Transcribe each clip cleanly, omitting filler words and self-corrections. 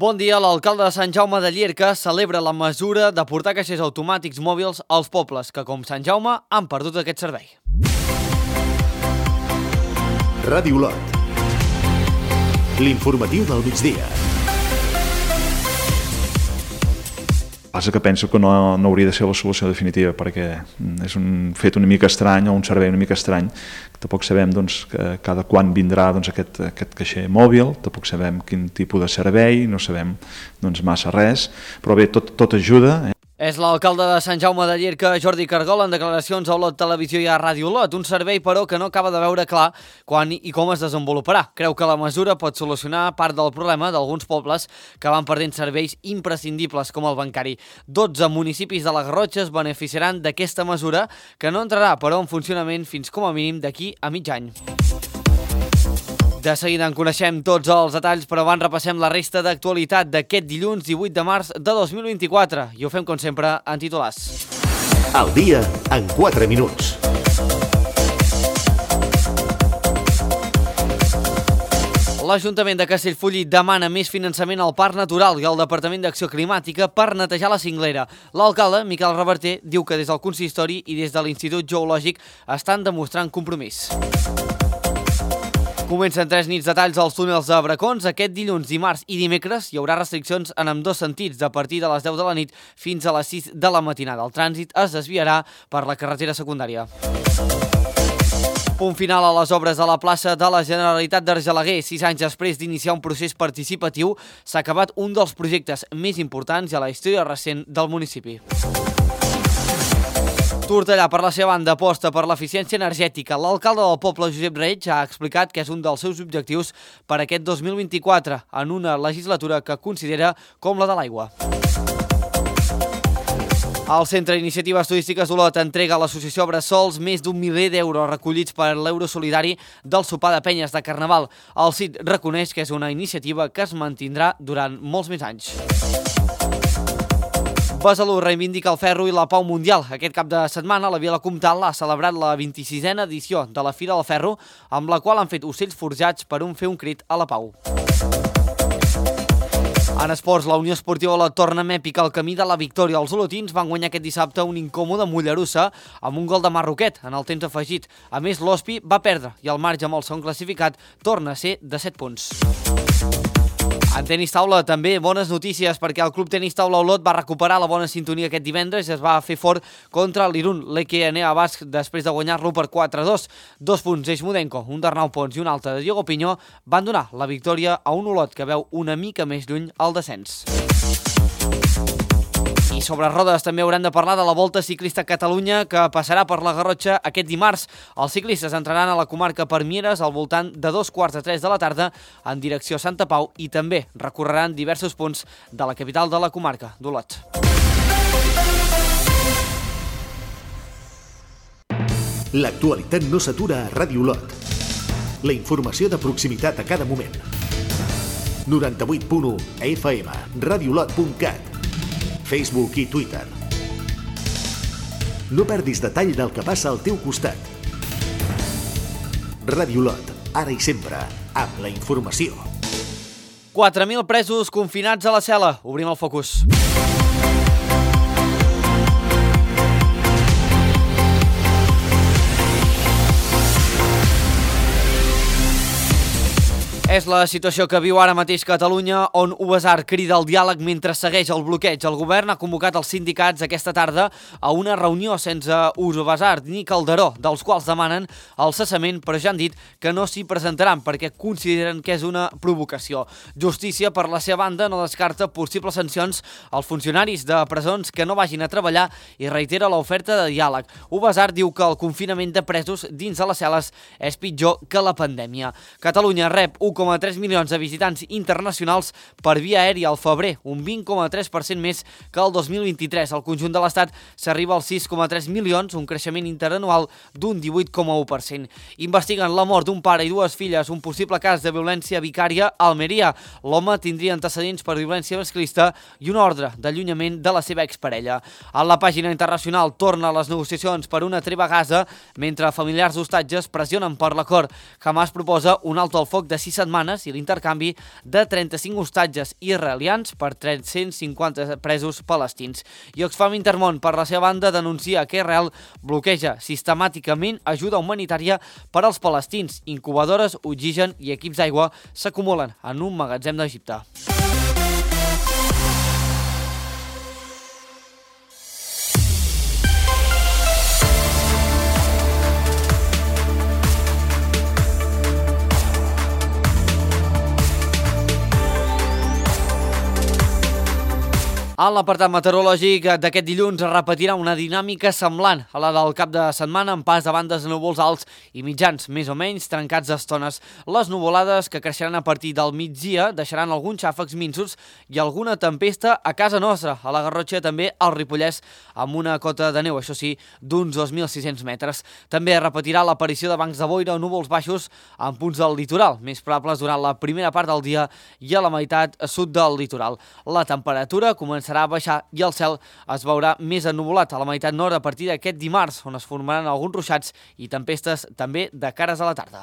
Bon dia. L'alcalde de Sant Jaume de Llierca celebra la mesura de portar caixers automàtics mòbils als pobles que, com Sant Jaume, han perdut aquest servei. Ràdio Olot. L'informatiu del migdia. Passa que penso que no hauria de ser la solució definitiva, perquè és un fet una mica estrany o un servei una mica estrany. Tampoc sabem que cada quan vindrà aquest caixer mòbil, tampoc sabem quin tipus de servei, no sabem massa res, però bé, tot ajuda. És l'alcalde de Sant Jaume de Llierca, Jordi Cargol, en declaracions a Olot Televisió i a Ràdio Olot. Un servei, però, que no acaba de veure clar quan i com es desenvoluparà. Creu que la mesura pot solucionar part del problema d'alguns pobles que van perdent serveis imprescindibles com el bancari. 12 municipis de la Garrotxa es beneficiaran d'aquesta mesura, que no entrarà, però, en funcionament fins com a mínim d'aquí a mig any. De seguida en coneixem tots els detalls, però abans repassem la resta d'actualitat d'aquest dilluns 18 de març de 2024. I ho fem, com sempre, en titulars. El dia en 4 minuts. L'Ajuntament de Castellfollit demana més finançament al Parc Natural i al Departament d'Acció Climàtica per netejar la cinglera. L'alcalde, Miquel Reverter, diu que des del consistori i des de l'Institut Geològic estan demostrant compromís. Comencen 3 nits de talls als túnels de Bracons. Aquest dilluns, dimarts i dimecres hi haurà restriccions en ambdós sentits, a partir de les 10 de la nit fins a les 6 de la matinada. El trànsit es desviarà per la carretera secundària. Punt final a les obres a la plaça de la Generalitat d'Argelaguer. 6 anys després d'iniciar un procés participatiu, s'ha acabat un dels projectes més importants a la història recent del municipi. Tortellà, per la seva banda, aposta per l'eficiència energètica. L'alcalde del poble, Josep Reig, ha explicat que és un dels seus objectius per aquest 2024, en una legislatura que considera com la de l'aigua. El Centre d'Iniciatives Turístiques d'Olot entrega a l'associació Bressols més d'1 miler d'euros recollits per l'euro solidari del sopar de penyes de Carnaval. El CIT reconeix que és una iniciativa que es mantindrà durant molts més anys. Besalú reivindica el ferro i la pau mundial. Aquest cap de setmana la Vila Comtal ha celebrat la 26a edició de la Fira del Ferro, amb la qual han fet ocells forjats per fer un crit a la pau. En esports, la Unió Esportiva Olot torna amb èpica al camí de la victòria. Els olotins van guanyar aquest dissabte un incòmode Mollerussa amb un gol de Marroquet en el temps afegit. A més, l'Hospi va perdre i el marge amb el segon classificat torna a ser de 7 punts. En tenis taula també bones notícies, perquè el Club Tenis Taula Olot va recuperar la bona sintonia aquest divendres i es va fer fort contra l'Irun. L'Equenea Basc, després de guanyar-lo per 4-2. 2 punts d'Eixmudenko, un d'Arnau Pons i un altre de Diego Pinyó van donar la victòria a un Olot que veu una mica més lluny el descens. I sobre rodes també hauran de parlar de la Volta Ciclista a Catalunya, que passarà per la Garrotxa aquest dimarts. Els ciclistes entraran a la comarca per Mieres al voltant de 2:45 de la tarda en direcció a Santa Pau i també recorreran diversos punts de la capital de la comarca, d'Olot. L'actualitat no s'atura a Ràdio Olot. La informació de proximitat a cada moment. 98.1 FM, radiolot.cat, Facebook i Twitter. No perdis detall del que passa al teu costat. Ràdio Olot, ara i sempre, amb la informació. 4.000 presos confinats a la cel·la. Obrim el focus. És la situació que viu ara mateix Catalunya, on Ubasart crida al diàleg mentre segueix el bloqueig. El govern ha convocat els sindicats aquesta tarda a una reunió sense Ubasart ni Calderó, dels quals demanen el cessament, però ja han dit que no s'hi presentaran perquè consideren que és una provocació. Justícia, per la seva banda, no descarta possibles sancions als funcionaris de presons que no vagin a treballar i reitera l'oferta de diàleg. Ubasart diu que el confinament de presos dins de les cel·les és pitjor que la pandèmia. Catalunya rep 1,3 milions de visitants internacionals per via aèria al febrer, un 20,3% més que el 2023. Al conjunt de l'Estat s'arriba als 6,3 milions, un creixement interanual d'un 18,1%. Investiguen la mort d'un pare i 2 filles, un possible cas de violència vicària a Almeria. L'home tindria antecedents per violència masclista i una ordre d'allunyament de la seva exparella. A la pàgina internacional torna a les negociacions per una treva a Gaza, mentre familiars d'hostatges pressionen per l'acord. Hamas proposa un alto al foc de 6 setmanes setmanes i l'intercanvi de 35 hostatges israelians per 350 presos palestins. I Oxfam Intermón, per la seva banda, denuncia que Israel bloqueja sistemàticament ajuda humanitària per als palestins. Incubadores, oxigen i equips d'aigua s'acumulen en un magatzem d'Egipte. A l'apartat meteorològic d'aquest dilluns es repetirà una dinàmica semblant a la del cap de setmana, amb pas de bandes de núvols alts i mitjans, més o menys trencats d'estones. Les nuvolades, que creixeran a partir del migdia, deixaran alguns xàfecs minsos i alguna tempesta a casa nostra, a la Garrotxa, també al Ripollès, amb una cota de neu, això sí, d'uns 2.600 metres. També es repetirà l'aparició de bancs de boira o núvols baixos en punts del litoral, més probables durant la primera part del dia i a la meitat sud del litoral. La temperatura començarà a baixar i el cel es veurà més ennuvolat a la meitat nord a partir d'aquest dimarts, on es formaran alguns ruixats i tempestes també de cares a la tarda.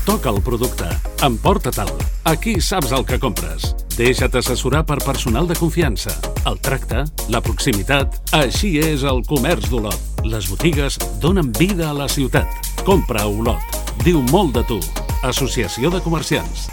Toca el producte. Emporta-te'l. Aquí saps el que compres. Deixa't assessorar per personal de confiança. El tracte, la proximitat... Així és el comerç d'Olot. Les botigues donen vida a la ciutat. Compra a Olot. Diu molt de tu. Associació de Comerciants.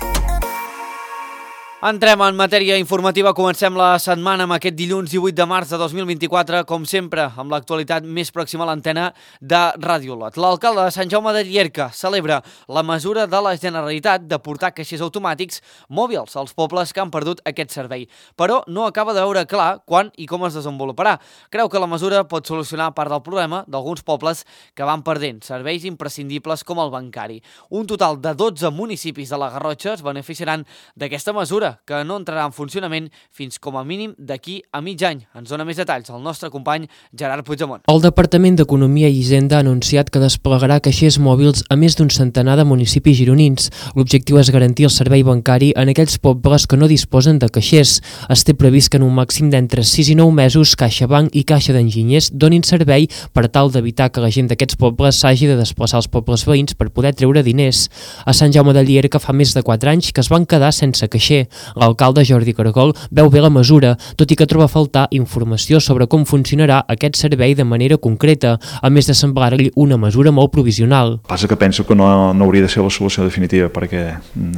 Entrem en matèria informativa. Comencem la setmana amb aquest dilluns 18 de març de 2024, com sempre, amb l'actualitat més pròxima a l'antena de Ràdio Olot. L'alcalde de Sant Jaume de Llierca celebra la mesura de la Generalitat de portar caixers automàtics mòbils als pobles que han perdut aquest servei, però no acaba de veure clar quan i com es desenvoluparà. Creu que la mesura pot solucionar part del problema d'alguns pobles que van perdent serveis imprescindibles com el bancari. Un total de 12 municipis de la Garrotxa es beneficiaran d'aquesta mesura, que no entrarà en funcionament fins com a mínim d'aquí a mig any. Ens dona més detalls el nostre company Gerard Puigdemont. El Departament d'Economia i Hisenda ha anunciat que desplegarà caixers mòbils a més d'un centenar de municipis gironins. L'objectiu és garantir el servei bancari en aquells pobles que no disposen de caixers. Es té previst que en un màxim d'entre 6 i 9 mesos CaixaBank i Caixa d'Enginyers donin servei per tal d'evitar que la gent d'aquests pobles s'hagi de desplaçar als pobles veïns per poder treure diners. A Sant Jaume de Llierca fa més de 4 anys que es van quedar sense caixer. L'alcalde Jordi Cargol veu bé la mesura, tot i que troba a faltar informació sobre com funcionarà aquest servei de manera concreta, a més de semblar-li una mesura molt provisional. Passa que penso que no hauria de ser la solució definitiva, perquè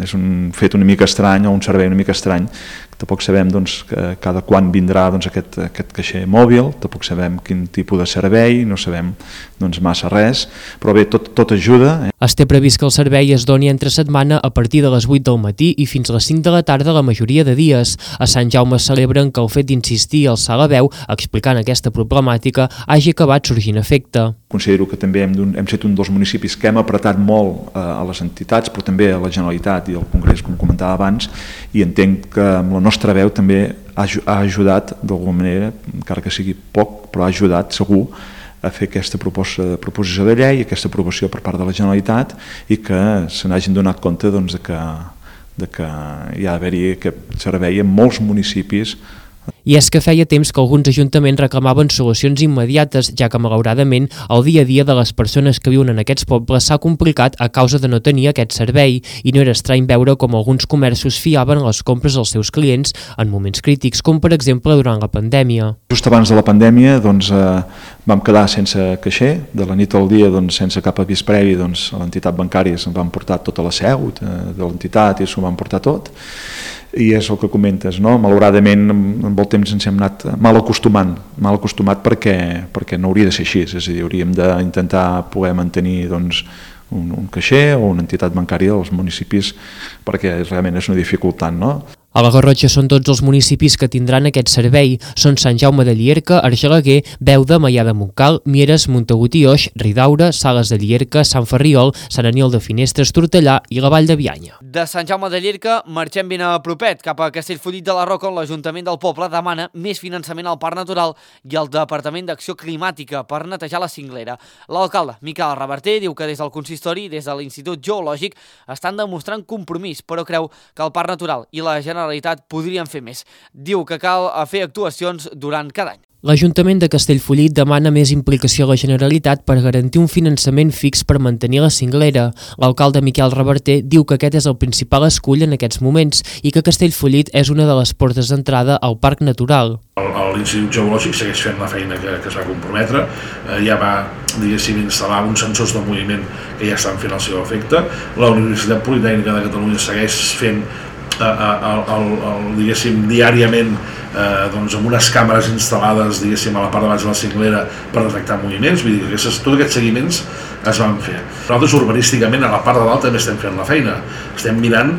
és un fet una mica estrany, o un servei una mica estrany. Tampoc sabem cada quan vindrà aquest caixer mòbil, tampoc sabem quin tipus de servei, no sabem massa res, però bé, tot ajuda. Es té previst que el servei es doni entre setmana a partir de les 8 del matí i fins a les 5 de la tarda la majoria de dies. A Sant Jaume celebren que el fet d'insistir i alçar la veu explicant aquesta problemàtica hagi acabat sorgint efecte. Considero que també hem estat un dels municipis que hem apretat molt a les entitats, però també a la Generalitat i al Congrés, com comentava abans, i entenc que amb la nostra veu també ha ajudat d'alguna manera, encara que sigui poc, però ha ajudat segur a fer aquesta proposició de llei, aquesta aprovació per part de la Generalitat, i que se n'hagin donat compte de que hi ha d'haver-hi aquest servei en molts municipis. I és que feia temps que alguns ajuntaments reclamaven solucions immediates, ja que malauradament el dia a dia de les persones que viuen en aquests pobles s'ha complicat a causa de no tenir aquest servei, i no era estrany veure com alguns comerços fiaven les compres als seus clients en moments crítics, com per exemple durant la pandèmia. Just abans de la pandèmia vam quedar sense caixer, de la nit al dia sense cap avís previ, a l'entitat bancària se'n van portar tota la seu de l'entitat i s'ho van portar tot. I és el que comentes, no? Malauradament amb el temps ens hem anat mal acostumat perquè no hauria de ser així, és a dir, hauríem d'intentar poder mantenir un caixer o una entitat bancària als municipis, perquè realment és una dificultat, no? A la Garrotxa són tots els municipis que tindran aquest servei. Són Sant Jaume de Llierca, Argelaguer, Beuda, Maià de Montcal, Mieres, Montagut i Oix, Ridaura, Sales de Llierca, Sant Ferriol, Sant Aniol de Finestres, Tortellà i la Vall de Bianya. De Sant Jaume de Llierca marxem ben a propet, cap a Castellfollit de la Roca, on l'Ajuntament del poble demana més finançament al Parc Natural i al Departament d'Acció Climàtica per netejar la cinglera. L'alcalde, Miquel Reverter, diu que des del consistori i des de l'Institut Geològic estan demostrant compromís, però creu que el Parc Natural i la Generalitat podrien fer més. Diu que cal fer actuacions durant cada any. L'Ajuntament de Castellfollit demana més implicació a la Generalitat per garantir un finançament fix per mantenir la cinglera. L'alcalde Miquel Reverter diu que aquest és el principal escull en aquests moments i que Castellfollit és una de les portes d'entrada al Parc Natural. L'Institut Geològic segueix fent la feina que es va comprometre, ja va, diguéssim, instal·lar uns sensors de moviment que ja estan fent el seu efecte. La Universitat Politècnica de Catalunya segueix fent diguéssim, diàriament amb unes càmeres instal·lades, diguéssim, a la part de baix de la cinglera per detectar moviments. Vull dir que tots aquests seguiments es van fer. Nosaltres urbanísticament a la part de dalt també estem fent la feina. Estem mirant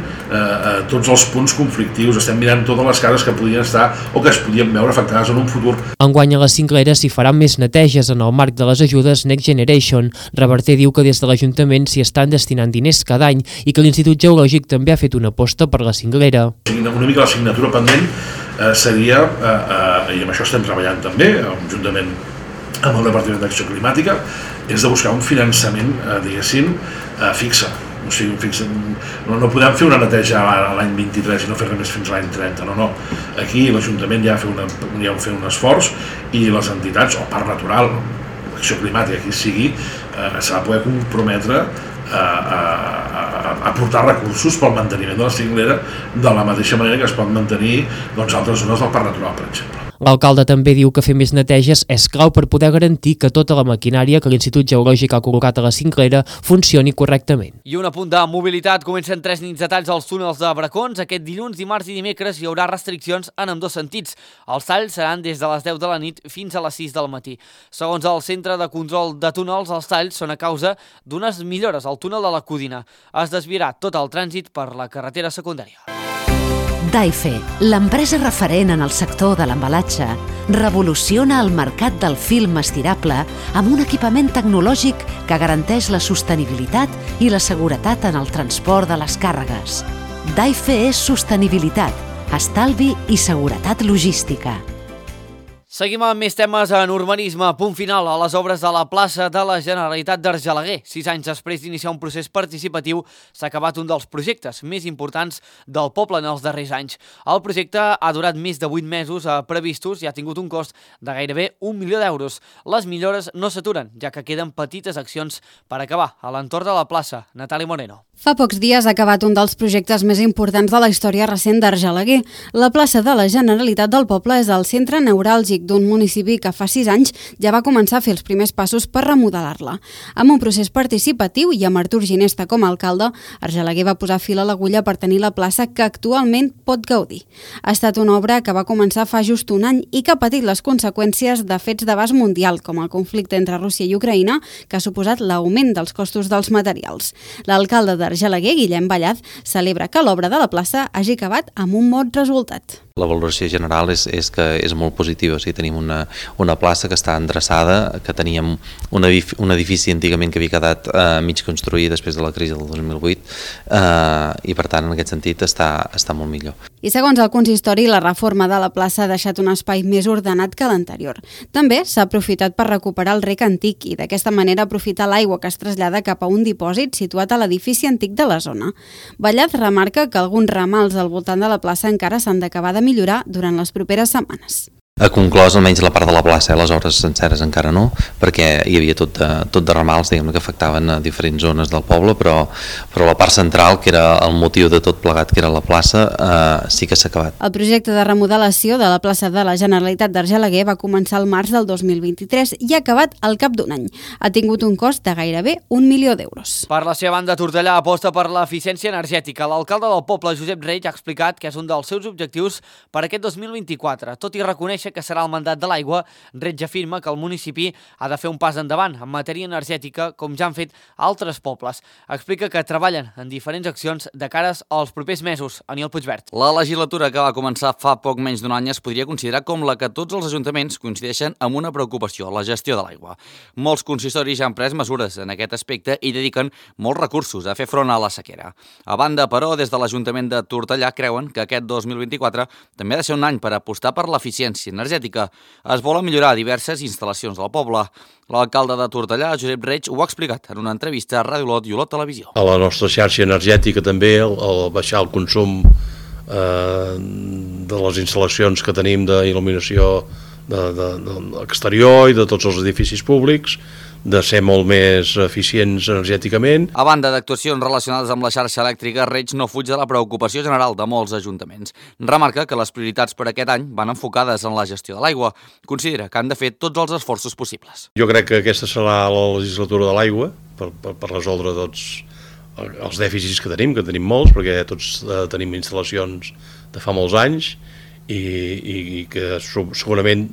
tots els punts conflictius, estem mirant totes les cases que podien estar o que es podien veure afectades en un futur. Enguany a la cinglera s'hi faran més neteges en el marc de les ajudes Next Generation. Reverter diu que des de l'Ajuntament s'hi estan destinant diners cada any i que l'Institut Geològic també ha fet una aposta per la cinglera. Una mica l'assignatura pendent seria, i amb això estem treballant també, juntament amb el Departament d'Acció Climàtica, és de buscar un finançament, diguéssim, fixe. O sigui, no podem fer una neteja a l'any 23 i no fer res més fins a l'any 30, no. Aquí l'Ajuntament ja ha fet un esforç i les entitats, o Parc Natural, Acció Climàtica, qui sigui, s'ha de poder comprometre a aportar recursos pel manteniment de la cinglera de la mateixa manera que es pot mantenir altres zones del Parc Natural, per exemple. L'alcalde també diu que fer més neteges és clau per poder garantir que tota la maquinària que l'Institut Geològic ha col·locat a la cinglera funcioni correctament. I un apunt de mobilitat. Comencen 3 nits de talls als túnels de Bracons. Aquest dilluns, dimarts i dimecres hi haurà restriccions en ambdós sentits. Els talls seran des de les 10 de la nit fins a les 6 del matí. Segons el Centre de Control de Túnels, els talls són a causa d'unes millores al túnel de la Codina. Es desviarà tot el trànsit per la carretera secundària. Daife, l'empresa referent en el sector de l'embalatge, revoluciona el mercat del film estirable amb un equipament tecnològic que garanteix la sostenibilitat i la seguretat en el transport de les càrregues. Daife és sostenibilitat, estalvi i seguretat logística. Seguim amb més temes en urbanisme. Punt final a les obres de la plaça de la Generalitat d'Argelaguer. 6 anys després d'iniciar un procés participatiu, s'ha acabat un dels projectes més importants del poble en els darrers anys. El projecte ha durat més de 8 mesos previstos i ha tingut un cost de gairebé 1 milió d'euros. Les millores no s'aturen, ja que queden petites accions per acabar a l'entorn de la plaça. Natàlia Moreno. Fa pocs dies ha acabat un dels projectes més importants de la història recent d'Argelaguer. La plaça de la Generalitat del poble és el centre neuràlgic d'un municipi que fa 6 anys ja va començar a fer els primers passos per remodelar-la. Amb un procés participatiu i amb Artur Ginesta com a alcalde, Argelaguer va posar fil a l'agulla per tenir la plaça que actualment pot gaudir. Ha estat una obra que va començar fa just un any i que ha patit les conseqüències de fets d'abast mundial, com el conflicte entre Rússia i Ucraïna, que ha suposat l'augment dels costos dels materials. L'alcalde d'Argelaguer, Guillem Ballaz, celebra que l'obra de la plaça hagi acabat amb un bon resultat. La valoració general és que és molt positiva. O sigui, tenim una plaça que està endreçada, que teníem un edifici antigament que havia quedat mig construït després de la crisi del 2008 i per tant en aquest sentit està molt millor. I segons el consistori, la reforma de la plaça ha deixat un espai més ordenat que l'anterior. També s'ha aprofitat per recuperar el rec antic i d'aquesta manera aprofitar l'aigua que es trasllada cap a un dipòsit situat a l'edifici antic de la zona. Ballaz remarca que alguns ramals al voltant de la plaça encara s'han d'acabar de millorar durant les properes setmanes. Ha conclòs almenys la part de la plaça, les hores senceres encara no, perquè hi havia tot de ramals, diguem-ne, que afectaven a diferents zones del poble, però la part central, que era el motiu de tot plegat, que era la plaça, sí que s'ha acabat. El projecte de remodelació de la plaça de la Generalitat d'Argelaguer va començar al març del 2023 i ha acabat al cap d'un any. Ha tingut un cost de gairebé 1 milió d'euros. Per la seva banda, Tortellà aposta per l'eficiència energètica. L'alcalde del poble, Josep Reig, ha explicat que és un dels seus objectius per aquest 2024, tot i reconèixer que serà el mandat de l'aigua. Reig afirma que el municipi ha de fer un pas endavant en matèria energètica, com ja han fet altres pobles. Explica que treballen en diferents accions de cares als propers mesos. Aniol Puigvert. La legislatura que va començar fa poc menys d'un any es podria considerar com la que tots els ajuntaments coincideixen amb una preocupació, la gestió de l'aigua. Molts consistoris ja han pres mesures en aquest aspecte i dediquen molts recursos a fer front a la sequera. A banda, però, des de l'Ajuntament de Tortellà creuen que aquest 2024 també ha de ser un any per apostar per l'eficiència energètica. Es volen millorar diverses instal·lacions del poble. L'alcalde de Tortellà, Josep Reig, ho ha explicat en una entrevista a Ràdio Olot i Olot Televisió. A la nostra xarxa energètica també, el baixar el consum de les instal·lacions que tenim d'il·luminació exterior i de tots els edificis públics, de ser molt més eficients energèticament. A banda d'actuacions relacionades amb la xarxa elèctrica, Reig no fuig de la preocupació general de molts ajuntaments. Remarca que les prioritats per aquest any van enfocades en la gestió de l'aigua. Considera que han de fer tots els esforços possibles. Jo crec que aquesta serà la legislatura de l'aigua per resoldre tots els dèficits que tenim molts, perquè tots tenim instal·lacions de fa molts anys i que segurament,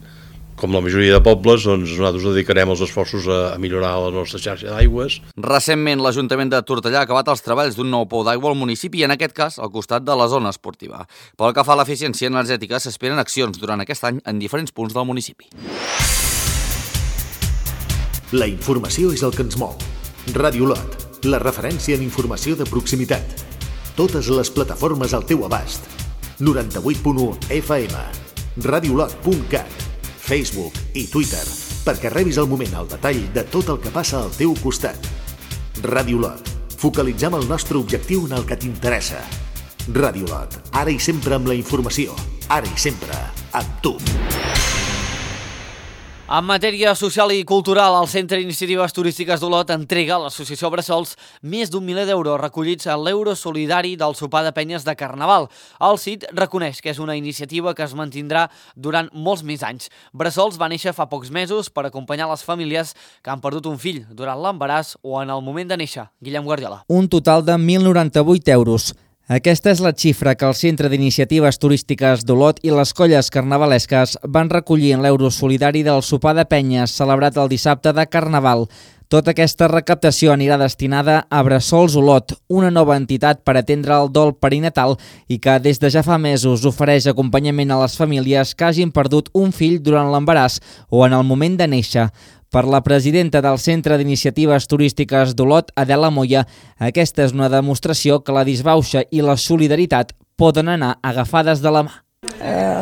com la majoria de pobles, doncs nosaltres dedicarem els esforços a millorar la nostra xarxa d'aigües. Recentment, l'Ajuntament de Tortellà ha acabat els treballs d'un nou pou d'aigua al municipi, en aquest cas al costat de la zona esportiva. Pel que fa a l'eficiència energètica, s'esperen accions durant aquest any en diferents punts del municipi. La informació és el que ens mou. Ràdio Lot, la referència en informació de proximitat. Totes les plataformes al teu abast. 98.1 FM, radiolot.cat, Facebook i Twitter, perquè rebis al moment el detall de tot el que passa al teu costat. Ràdio Lot, focalitzem el nostre objectiu en el que t'interessa. Ràdio Lot, ara i sempre amb la informació, ara i sempre amb tu. En matèria social i cultural, el Centre d'Iniciatives Turístiques d'Olot entrega a l'Associació Bressols més d'1 miler d'euros recollits a l'euro solidari del sopar de penyes de Carnaval. El CIT reconeix que és una iniciativa que es mantindrà durant molts més anys. Bressols va néixer fa pocs mesos per acompanyar les famílies que han perdut un fill durant l'embaràs o en el moment de néixer. Guillem Guardiola. Un total de 1.098 euros. Aquesta és la xifra que el Centre d'Iniciatives Turístiques d'Olot i les colles carnavalesques van recollir en l'euro solidari del sopar de penyes celebrat el dissabte de Carnaval. Tota aquesta recaptació anirà destinada a Bressols Olot, una nova entitat per atendre el dol perinatal i que des de ja fa mesos ofereix acompanyament a les famílies que hagin perdut un fill durant l'embaràs o en el moment de néixer. Per la presidenta del Centre d'Iniciatives Turístiques d'Olot, Adela Moya, aquesta és una demostració que la disbauxa i la solidaritat poden anar agafades de la mà.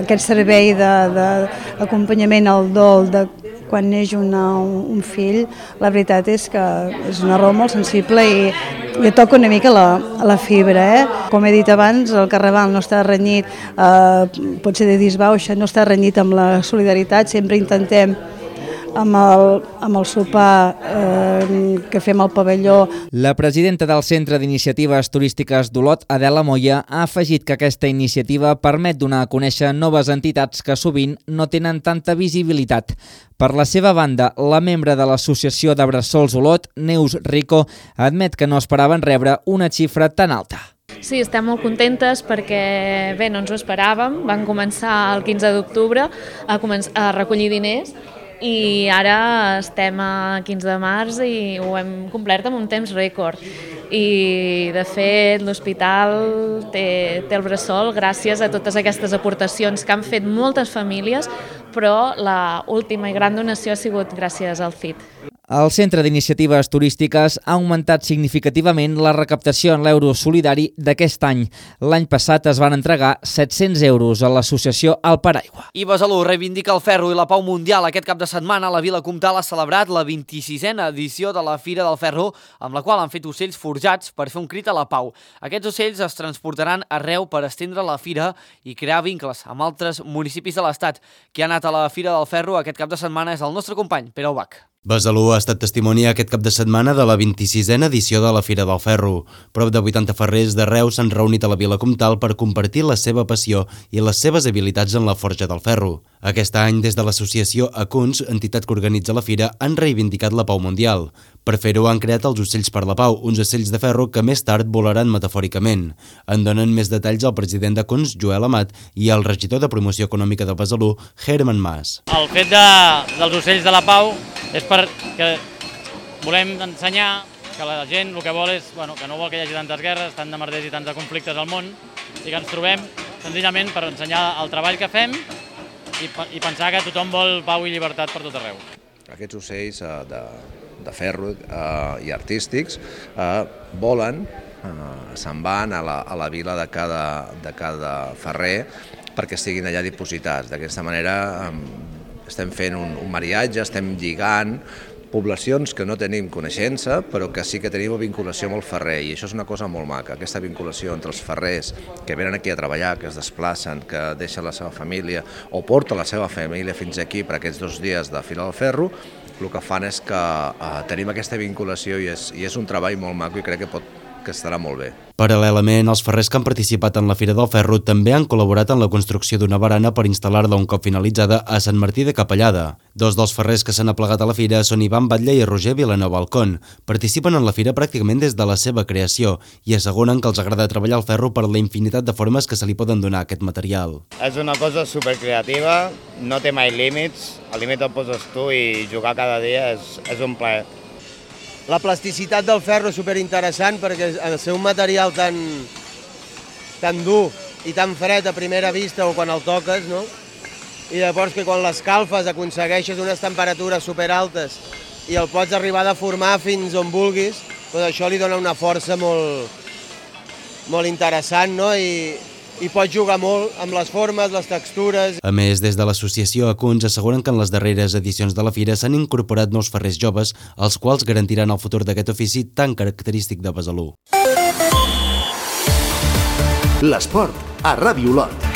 Aquest servei d'acompanyament al dol de quan neix un fill, la veritat és que és una raó molt sensible i toca una mica la fibra. Com he dit abans, el Carnaval no està renyit, pot ser de disbauxa, no està renyit amb la solidaritat, sempre intentem amb el sopar que fem al pavelló. La presidenta del Centre d'Iniciatives Turístiques d'Olot, Adela Moya, ha afegit que aquesta iniciativa permet donar a conèixer noves entitats que sovint no tenen tanta visibilitat. Per la seva banda, la membre de l'Associació de Bressols Olot, Neus Rico, admet que no esperaven rebre una xifra tan alta. Sí, estem molt contentes perquè bé, no ens ho esperàvem. Van començar el 15 d'octubre a recollir diners i ara estem a 15 de març i ho hem complert amb un temps rècord. I, de fet, l'hospital té el bressol gràcies a totes aquestes aportacions que han fet moltes famílies, però l'última i gran donació ha sigut gràcies al CIT. El Centre d'Iniciatives Turístiques ha augmentat significativament la recaptació en l'euro solidari d'aquest any. L'any passat es van entregar 700 euros a l'associació El Paraigua. I Besalú reivindica el ferro i la pau mundial. Aquest cap de setmana la Vila Comtal ha celebrat la 26a edició de la Fira del Ferro, amb la qual han fet ocells forjats per fer un crit a la pau. Aquests ocells es transportaran arreu per estendre la fira i crear vincles amb altres municipis de l'Estat. Qui ha anat a la Fira del Ferro aquest cap de setmana és el nostre company, Pere Ubach. Besalú ha estat testimoni aquest cap de setmana de la 26a edició de la Fira del Ferro. Prop de 80 ferrers d'arreu s'han reunit a la Vila Comtal per compartir la seva passió i les seves habilitats en la forja del ferro. Aquest any, des de l'associació Acuns, entitat que organitza la fira, han reivindicat la pau mundial. Per fer-ho han creat els ocells per la pau, uns ocells de ferro que més tard volaran metafòricament. En donen més detalls el president d'Acuns, Joel Amat, i el regidor de Promoció Econòmica de Besalú, Herman Mas. El fet dels ocells de la pau és perquè volem ensenyar que la gent el que vol és que no vol que hi hagi tantes guerres, tant de merders i tants de conflictes al món, i que ens trobem senzillament per ensenyar el treball que fem i pensar que tothom vol pau i llibertat per tot arreu. Aquests ocells de ferro i artístics volen, se'n van a la vila de cada ferrer perquè estiguin allà dipositats. D'aquesta manera estem fent un mariatge, estem lligant poblacions que no tenim coneixença, però que sí que tenim vinculació amb el ferrer, i això és una cosa molt maca, aquesta vinculació entre els ferrers que venen aquí a treballar, que es desplacen, que deixen la seva família o porten la seva família fins aquí per aquests 2 dies de Fira del Ferro, el que fan és que tenim aquesta vinculació i és un treball molt maco i crec que estarà molt bé. Paral·lelament, els ferrers que han participat en la Fira del Ferro també han col·laborat en la construcció d'una barana per instal·lar-la un cop finalitzada a Sant Martí de Capellada. 2 dels ferrers que s'han aplegat a la fira són Ivan Batlle i Roger Vilanova Alcón. Participen en la fira pràcticament des de la seva creació i asseguren que els agrada treballar el ferro per la infinitat de formes que se li poden donar a aquest material. És una cosa supercreativa, no té mai límits, el límit el poses tu i jugar cada dia és un plaer. La plasticitat del ferro és superinteressant perquè al ser un material tan dur i tan fred a primera vista o quan el toques, no? I llavors que quan l'escalfes aconsegueixes unes temperatures superaltes i el pots arribar a deformar fins on vulguis, doncs això li dona una força molt interessant, no? I pots jugar molt amb les formes, les textures. A més, des de l'associació Acuns asseguren que en les darreres edicions de la fira s'han incorporat nous ferrers joves, els quals garantiran el futur d'aquest ofici tan característic de Besalú. L'esport a Ràdio Olot.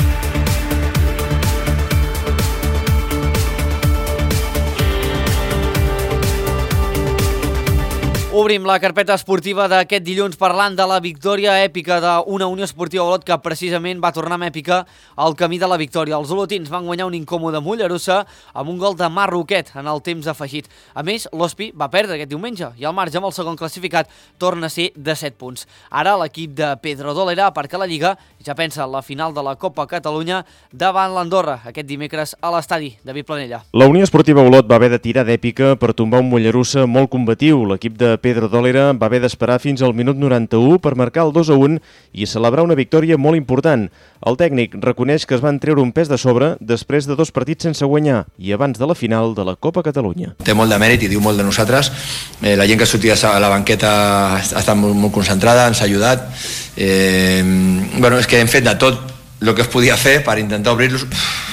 Obrim la carpeta esportiva d'aquest dilluns parlant de la victòria èpica d'una Unió Esportiva Olot que precisament va tornar amb èpica al camí de la victòria. Els olotins van guanyar un incòmode Mollerussa amb un gol de Marroquet en el temps afegit. A més, l'Hospi va perdre aquest diumenge i el marge amb el segon classificat torna a ser de 7 punts. Ara l'equip de Pedro Dolera aparca la Lliga i ja pensa en la final de la Copa Catalunya davant l'Andorra aquest dimecres a l'estadi David Planella. La Unió Esportiva Olot va haver de tirar d'èpica per tombar un Mollerussa molt combatiu. L'equip de Pedro Dolera va haver d'esperar fins al minut 91 per marcar el 2-1 i celebrar una victòria molt important. El tècnic reconeix que es van treure un pes de sobre després de 2 partits sense guanyar i abans de la final de la Copa Catalunya. Té molt de mèrit i diu molt de nosaltres. La gent que sortia a la banqueta ha estat molt concentrada, ens ha ajudat. És que hem fet de tot el que es podia fer per intentar obrir-los.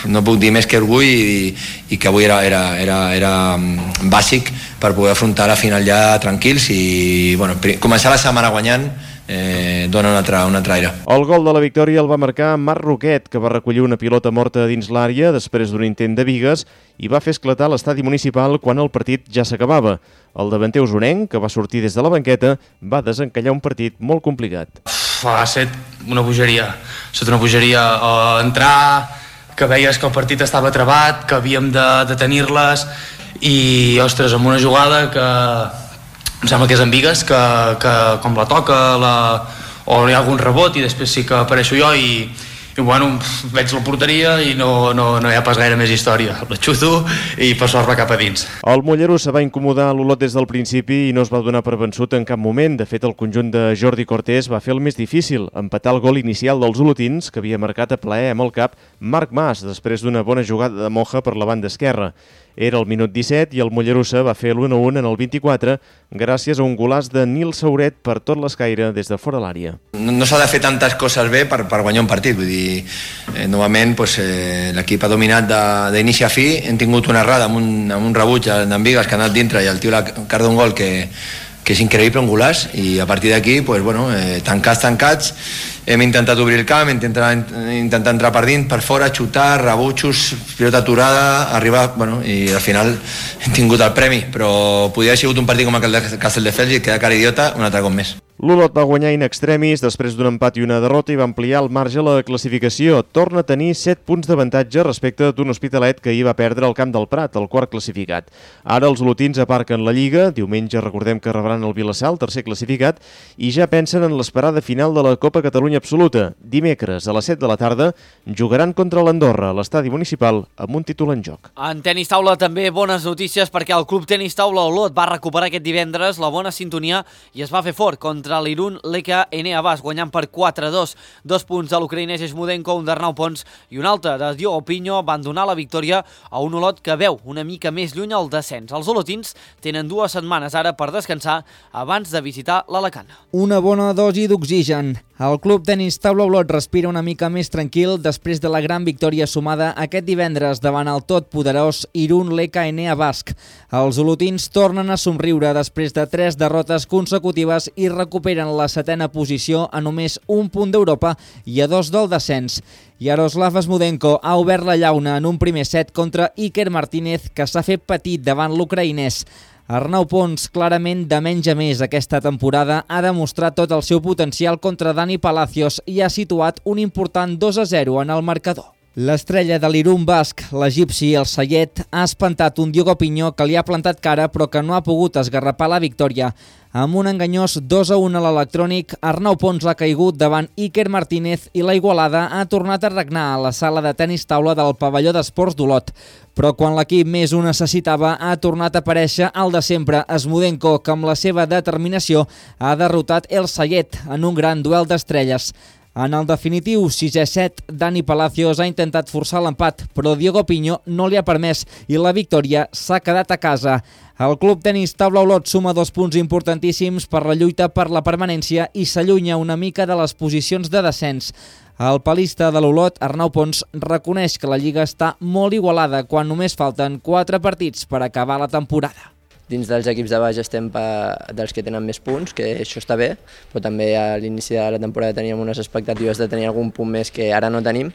No puc dir més que orgull i que avui era bàsic per poder afrontar la final ja tranquils i començar la setmana guanyant dona un altre aire. El gol de la victòria el va marcar Marroquet, que va recollir una pilota morta dins l'àrea després d'un intent de bigues i va fer esclatar l'estadi municipal quan el partit ja s'acabava. El davanter usonenc, que va sortir des de la banqueta, va desencallar un partit molt complicat. Ha estat una bogeria. Ha estat una bogeria entrar, que veies que el partit estava travat, que havíem de tenir-les i, ostres, amb una jugada que em sembla que és en bigues, que com la toca o hi ha algun rebot i després sí que apareixo jo i veig la porteria i no hi ha pas gaire més història. La xuto i per sort va cap a dins. El Mollerussa va incomodar l'Olot des del principi i no es va donar per vençut en cap moment. De fet, el conjunt de Jordi Cortés va fer el més difícil, empatar el gol inicial dels olotins, que havia marcat a plaer amb el cap Marc Mas, després d'una bona jugada de Moja per la banda esquerra. Era el minut 17 i el Mollerussa va fer l'1-1 en el 24 gràcies a un golaç de Nil Sauret per tot l'escaire des de fora l'àrea. No s'ha de fer tantes coses bé per guanyar un partit. Vull dir, novament l'equip ha dominat d'inici a fi. Hem tingut una errada amb un rebuig d'en Bigues que ha anat dintre i el tio l'ha cardat un gol que és increïble, un golaç, i a partir d'aquí, tancats, hem intentat obrir el camp, intentar entrar per dins, per fora, xutar, rebutjos, pilota aturada, arribar, i al final hem tingut el premi, però podria haver sigut un partit com el de Castelldefels i quedar cara idiota un altre cop més. L'Olot va guanyar in extremis després d'un empat i una derrota i va ampliar el marge a la classificació. Torna a tenir 7 punts d'avantatge respecte d'un Hospitalet que hi va perdre al Camp del Prat, el quart classificat. Ara els olotins aparquen la Lliga, diumenge recordem que rebran el Vilassar, el tercer classificat, i ja pensen en l'esperada final de la Copa Catalunya Absoluta. Dimecres a les 7 de la tarda jugaran contra l'Andorra a l'estadi municipal amb un títol en joc. En tenis taula també bones notícies perquè el Club Tenis Taula Olot va recuperar aquest divendres la bona sintonia i es va fer fort contra l'Irun Leka Enea Bas, guanyant per 4-2. 2 punts de l'ucraïnès Esmudenko, un d'Arnau Pons i un altre de Diogo Pinho van donar la victòria a un Olot que veu una mica més lluny al descens. Els olotins tenen 2 setmanes ara per descansar abans de visitar l'Alacant. Una bona dosi d'oxigen. El club tenis Taula Olot respira una mica més tranquil després de la gran victòria sumada aquest divendres davant el totpoderós Irún LKNA Basc. Els olotins tornen a somriure després de 3 derrotes consecutives i recuperen la 7a posició a només un punt d'Europa i a 2 del descens. Yaroslav Smudenko ha obert la llauna en un primer set contra Iker Martínez, que s'ha fet petit davant l'ucraïnès. Arnau Pons, clarament de menys a més aquesta temporada, ha demostrat tot el seu potencial contra Dani Palacios i ha situat un important 2-0 en el marcador. L'estrella de l'Irún Basc, l'egipci El Sayed, ha espantat un Diogo Pinyó que li ha plantat cara però que no ha pogut esgarrapar la victòria. Amb un enganyós 2-1 a l'electrònic, Arnau Pons ha caigut davant Iker Martínez i la Igualada ha tornat a regnar a la sala de tenis taula del pavelló d'esports d'Olot. Però quan l'equip més ho necessitava, ha tornat a aparèixer el de sempre, Smudenko, que amb la seva determinació ha derrotat El Sayed en un gran duel d'estrelles. En el definitiu 6è set, Dani Palacios ha intentat forçar l'empat, però Diogo Pinyó no li ha permès i la victòria s'ha quedat a casa. El club tenis Taula Olot suma 2 punts importantíssims per la lluita per la permanència i s'allunya una mica de les posicions de descens. El palista de l'Olot, Arnau Pons, reconeix que la Lliga està molt igualada quan només falten 4 partits per acabar la temporada. Dins dels equips de baix estem dels que tenen més punts, que això està bé, però també a l'inici de la temporada teníem unes expectatives de tenir algun punt més que ara no tenim,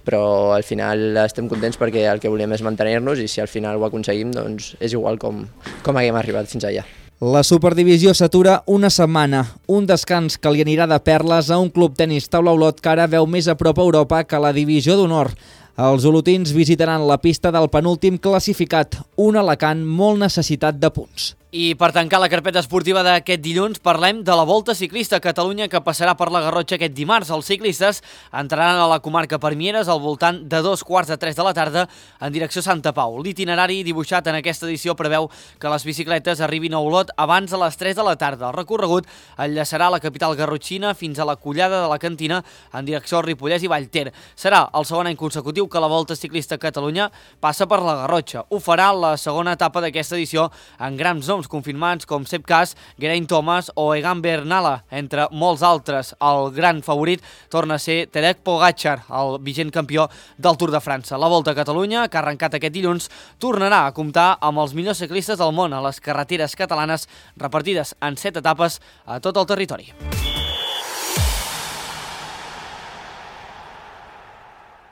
però al final estem contents perquè el que volíem és mantenir-nos i si al final ho aconseguim doncs és igual com haguem arribat fins allà. La Superdivisió s'atura una setmana, un descans que li anirà de perles a un club tenis Taula Olot que ara veu més a prop a Europa que la Divisió d'Honor. Els olotins visitaran la pista del penúltim classificat, un Alacant molt necessitat de punts. I per tancar la carpeta esportiva d'aquest dilluns parlem de la Volta Ciclista a Catalunya que passarà per la Garrotxa aquest dimarts. Els ciclistes entraran a la comarca per Mieres al voltant de 2:45 de la tarda en direcció a Santa Pau. L'itinerari dibuixat en aquesta edició preveu que les bicicletes arribin a Olot abans de les 3 de la tarda. El recorregut enllaçarà la capital garrotxina fins a la Collada de la Cantina en direcció al Ripollès i Vallter. Serà el segon any consecutiu que la Volta Ciclista a Catalunya passa per la Garrotxa. Ho farà la segona etapa d'aquesta edició en grans noms confirmats com Sepp Kuss, Geraint Thomas o Egan Bernal, entre molts altres. El gran favorit torna a ser Tadej Pogačar, el vigent campió del Tour de França. La Volta a Catalunya, que ha arrencat aquest dilluns, tornarà a comptar amb els millors ciclistes del món a les carreteres catalanes repartides en 7 etapes a tot el territori.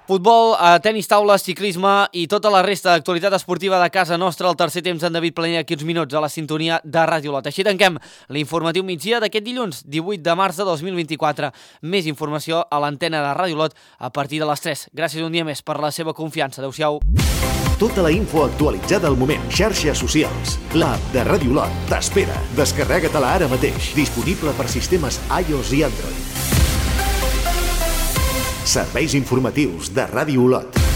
Futbol, tenis taula, ciclisme i tota la resta d'actualitat esportiva de casa nostra al tercer temps en David Planell aquí uns minuts a la sintonia de Ràdio Olot. Així tanquem l'informatiu migdia d'aquest dilluns, 18 de març de 2024. Més informació a l'antena de Ràdio Olot a partir de les 3. Gràcies un dia més per la seva confiança. Adéu-siau. Tota la info actualitzada al moment. Xarxes socials. L'app de Ràdio Olot t'espera. Descarrega-te-la ara mateix. Disponible per sistemes iOS i Android. Serveis informatius de Ràdio Olot.